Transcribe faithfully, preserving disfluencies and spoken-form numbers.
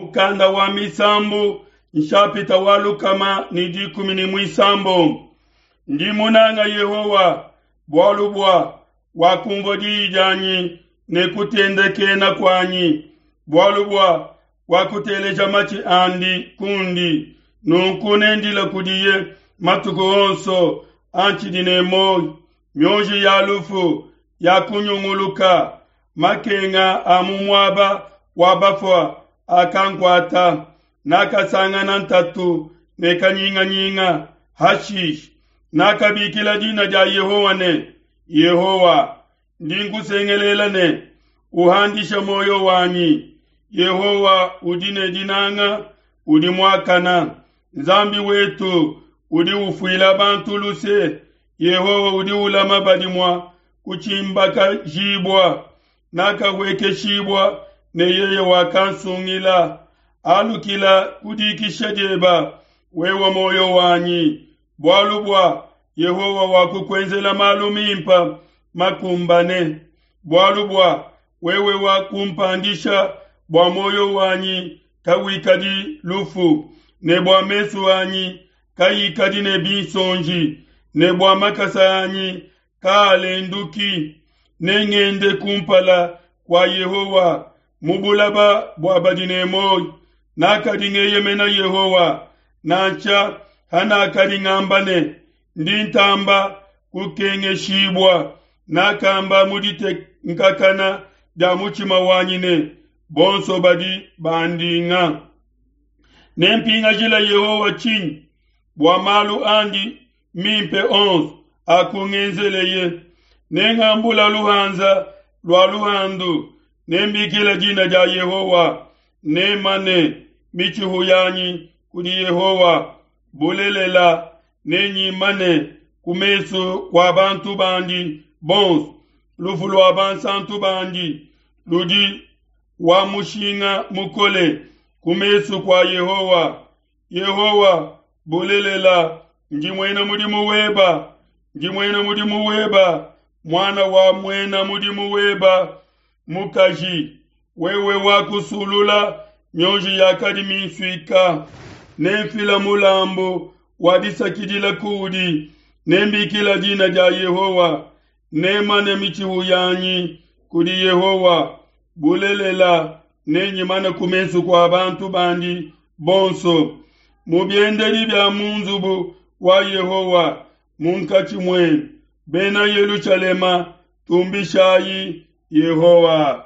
Mukanda wa Misambu nshapita wa lukama ne dikumi ne muisambombo. Ndi munanga Yehowa bualu bua wakumvua diyi dianyi ne kutendekena kuanyi, bualu bua wakuteleja matshi andi kundi. Nunku nendile kudiye matuku onso antshidi ne muoyo. Mionji ya lufu yakunyunguluka, makenga a mu muaba wa bafua akankuata. Nakasangana ntatu ne kanyinganyinga. Hashishe nakabikila dina dia Yehowa ne, Yehowa, ndi nkusengelela ne, uhandishe muoyo wanyi. Yehowa udi ne dinanga, udi muakana. Nzambi wetu udi ufuila bantu luse. Yehowa udi ulama badi mua kutshimbakajibua. Nakahuekeshibua ne yeye wakansungila. Alukila ku dikisha dieba, wewe muoyo wanyi, bualu bua Yehowa wakukuenzela malu mimpe makumbane. Bualu bua wewe wakumpandisha bua muoyo wanyi kawikadi lufu, ne bua mesu anyi kayikadi ne binsonji, ne bua makasa anyi kaalenduki. Nengende kumpala kua Yehowa mu bulaba bua badi ne muoyo. Nakadi ngeyemena Yehowa, nansha hanakadi ngamba ne, ndi ntamba kukengeshibua. Nakamba mu ditenkakana dia mutshima wanyi ne, bonso badi bandinga. Nempingajile Yehowa tshinyi bua malu andi mimpe onso akungenzeleye? Nengambula luhanza lua luhandu, nembikila dina dia Yehowa. Nemane mitshihu yanyi kudi Yehowa. Bulelela, nenyimane ku mesu kua bantu bandi bonso. Lufu lua bansantu bandi ludi wa mushinga mukole ku mesu kua Yehowa. Yehowa, bulelela, ndi muena mudimu weba, ndi muena mudimu weba, muana wa muena mudimu weba mukaji. Wewe wakusulula mionji yakadi minsuika. Nenfila mulambu wa disakidila kuudi, nembikila dina dia Yehowa. Nemane mitshihu yanyi kudi Yehowa. Bulelela, nenyimane ku mesu kua bantu bandi bonso, mu biendedi bia mu nzubu wa Yehowa munkatshi muenu. Bena Yelushalema, tumbishayi Yehowa.